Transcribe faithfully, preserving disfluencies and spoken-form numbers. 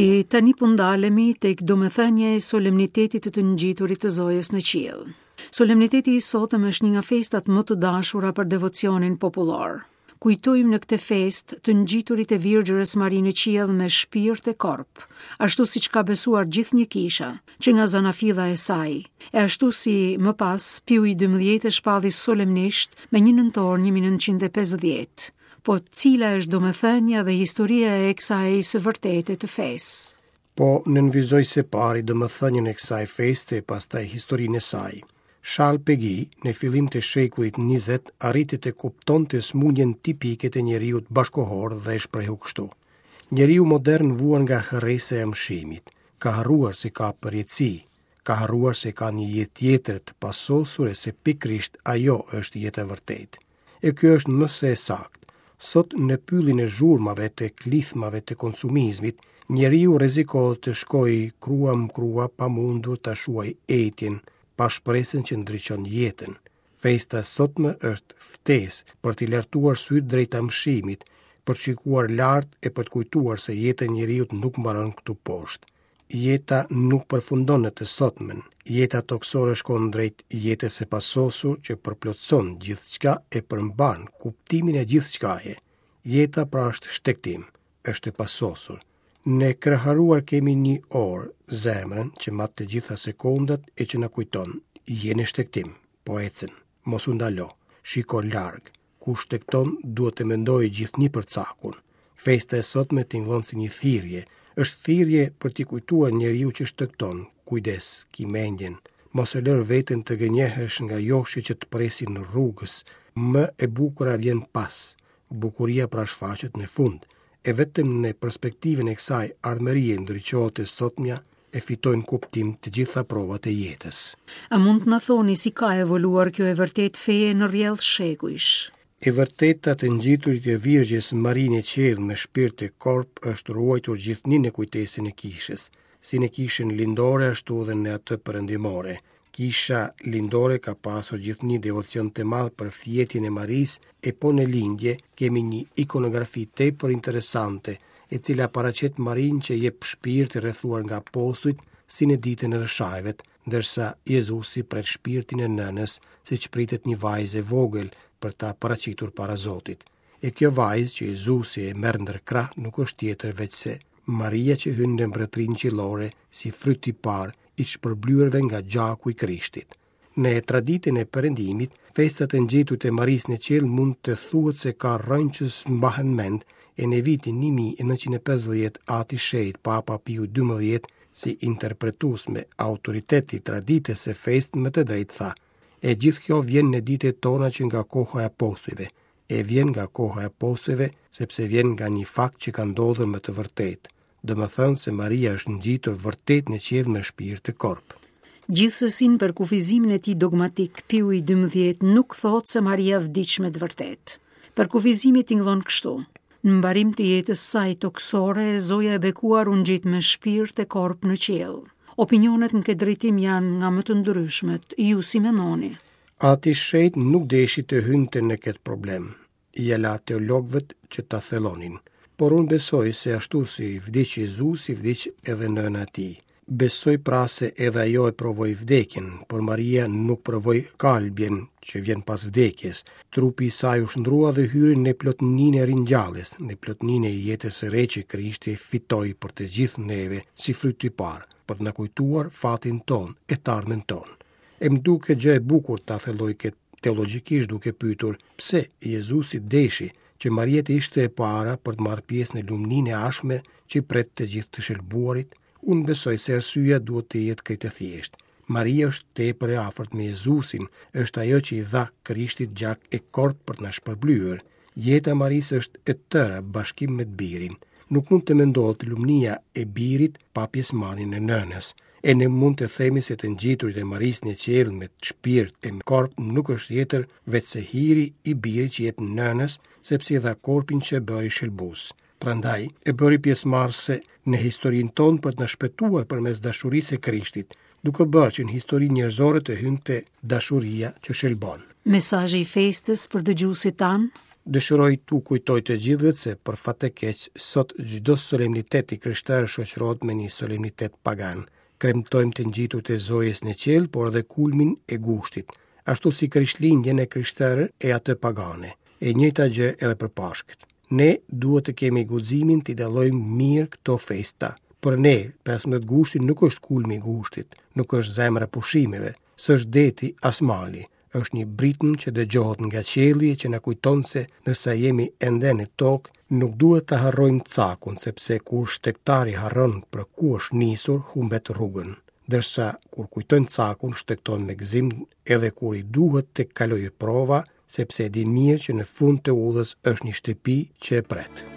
E tani po ndalemi tek domethënia e solemnitetit të të ngjiturit të Zojës në qiell. Solemniteti i sotëm është një nga festat më të dashura për devocionin popullor. Kujtojmë në këtë festë të ngjiturit e Virgjërës Mari në qiell me shpirt e korp, ashtu siç ka besuar gjithnjë kisha, që nga zanafilla e saj, e ashtu si më pas Piu i dymbëdhjetë e shpalli solemnisht me një nëntor një mijë e nëntëqind e pesëdhjetë. Po cila është domethënia dhe historia e kësaj së vërtete të fesë? Po nënvizoj se pari domethënien e kësaj feste, pastaj historinë e saj. Charles Péguy, në fillim të shekullit njëzet, arriti të kuptonte sëmundjen tipike të njeriut bashkohor dhe e shprehu kështu. Njeriu modern vuan nga harresa e amshimit, ka harruar se ka përjetësi, ka harruar se ka një jetë tjetër të pasosur e se pikërisht ajo është jeta e vërtetë. E kjo është më se e saktë. Sot në pyllin e zhurmave të klithmave të konsumizmit, njeriu rrezikohet të shkojë krua më krua pa mundur ta shuaj etjen, pa shpresën që ndriçon jetën. Festa e sotme është ftesë për t'i lartuar sytë drejt amshimit, për të shikuar lart e për të kujtuar se jeta e njeriut nuk mbaron këtu poshtë. Jeta nuk përfundon në të sotmen. Jeta tokësore shkon drejt jetës së pasosur që përplotëson gjithçka e përmban kuptimin e gjithçkaje. Jeta pra është shtegtim, është e pasosur. Ne kraharuar kemi një orë, zemrën që mat të gjitha sekondat e që na kujton, je në shtegtim, po ecën, mos u ndalo, shiko larg. Kush shtegton duhet të mendojë gjithnjë për cakun. Festa e sotme tingëllon si një thirrje, është thirrje për t'i kujtuar njeriu që shtegton, kujdes, ki mendjen, mos e lër veten të gënjehesh nga joshje që të presin në rrugës, më e bukura vjen pas, bukuria pra shfaqet në fund, e vetëm në perspektivën e kësaj ardhmërie ndriçohet e sotmja e fitojnë kuptim të gjitha provat e jetës. A mund të na thoni si ka evoluar kjo e vërtet feje në rrjedh shekujsh? E vërteta të ngjiturit e Virgjës Mari në qiell me shpirt e korp është ruajtur gjithnjë në kujtesën e kishës, si në kishën lindore ashtu edhe në atë perëndimore. Kisha lindore ka pasur gjithnjë devocion të madh për fjetjen e Marisë, e po në lindje kemi një ikonografi tepër interesante, e cila paraqet Marinë që jep shpirt i rrethuar nga apostujt si në ditën e rrëshajvet, ndërsa Jezusi pret shpirtin e nënës, siç pritet një vajzë e vogël për ta paraqitur para Zotit. E kjo vajzë që Jezusi e merr ndër krah nuk është tjetër veçse Maria që hyn në mbretërinë qiellore si fryt i parë i shpërblyerve nga gjaku i Krishtit. Në traditën e perëndimit, festat e ngjiturit e Marisë në qiell mund të thuhet se ka rrënjë që s'mbahen mend, e në vitin një mijë e nëntëqind e pesëdhjetë Ati Shenjt Papa Piu dymbëdhjetë, si interpretues me autoritet i traditës së festë, me të drejtë tha: E gjithë kjo vjen në ditët tona që nga koha e apostujve. E vjen nga koha e apostujve, sepse vjen nga një fakt që ka ndodhur me të vërtetë. Do më thënë se Maria është ngjitur vërtet në qiell me shpirt e korp. Gjithsesi në përkufizimin e tij dogmatik, Piu i dymbëdhjetë nuk thotë se Maria vdiq me të vërtetë. Përkufizimi tingëllon kështu: Në mbarim të jetës saj tokësore, Zoja e bekuar u ngjit me shpirt e korp në qiell. Opinionet në këtë drejtim janë nga më të ndryshmet. Ju si mendoni? Ati Shenjt nuk deshi të hynte në këtë problem. Ja la teologëve që ta thellonin. Por unë besoj se ashtu si vdiq Jezusi, vdiq edhe nëna e tij. Besoj pra se edhe ajo e provoi vdekjen, por Maria nuk provoi kalbjen që vjen pas vdekjes. Trupi i saj u shndrua dhe hyri në plotninë e ringjalljes, në plotninë e jetës së re që Krishti fitoi për të gjithë neve si fryt i parë, për të na kujtuar fatin ton e të ardhmen ton. E më duket gjë e bukur ta thelloj këtë teologjikisht duke pyetur pse Jezusi deshi që Maria të ishte e para për të marrë pjesë në lumninë e ardhshme që pret të gjithë të shëlbuarit. Unë besoj se arsyeja duhet të jetë krejt e thjeshtë. Maria është tepër e afërt me Jezusin, është ajo që i dha Krishtit gjak e korp për të na shpërblyer. Jeta e Marisë është e tëra bashkim me të birin. Nuk mund të mendohet lumnia e birit pa pjesëmarrjen e nënës. E ne mund të themi se të ngjiturit e Marisë në qiell me shpirt e me korp nuk është tjetër veçse hiri i birit që jep nënës, sepse i dha korpin që e bëri shëlbues. Prandaj e bëri pjesëmarrëse në historinë tonë për të na shpëtuar përmes dashurisë së Krishtit, duke bërë që në historinë njerëzore të hynte dashuria që shëlbon. Mesazhi i festës për dëgjuesit tanë? Dëshiroj t'u kujtoj të gjithëve se për fat të keq sot çdo solemnitet i krishterë shoqërohet me një solemnitet pagan. Kremtojmë të ngjiturit e Zojës në qiell, por edhe kulmin e gushtit, ashtu si Krishtlindjen e krishterë e atë pagane. E njëjta gjë edhe për Pashkët. Ne duhet të kemi guximin t'i dallojmë mirë këto festa. Për ne, pesëmbëdhjetë gushti nuk është kulmi i gushtit, nuk është zemra e pushimeve, s'është deti as mali, është një britmë që dëgjohet nga qielli e që na kujton se ndërsa jemi ende në tokë, nuk duhet ta harrojmë cakun, sepse kur shtegtari harron për ku është nisur, humbet rrugën. Ndërsa kur kujton cakun, shtegton me gëzim edhe kur i duhet të kalojë prova, sepse e di mirë që në fund të udhës është një shtëpi që e pret.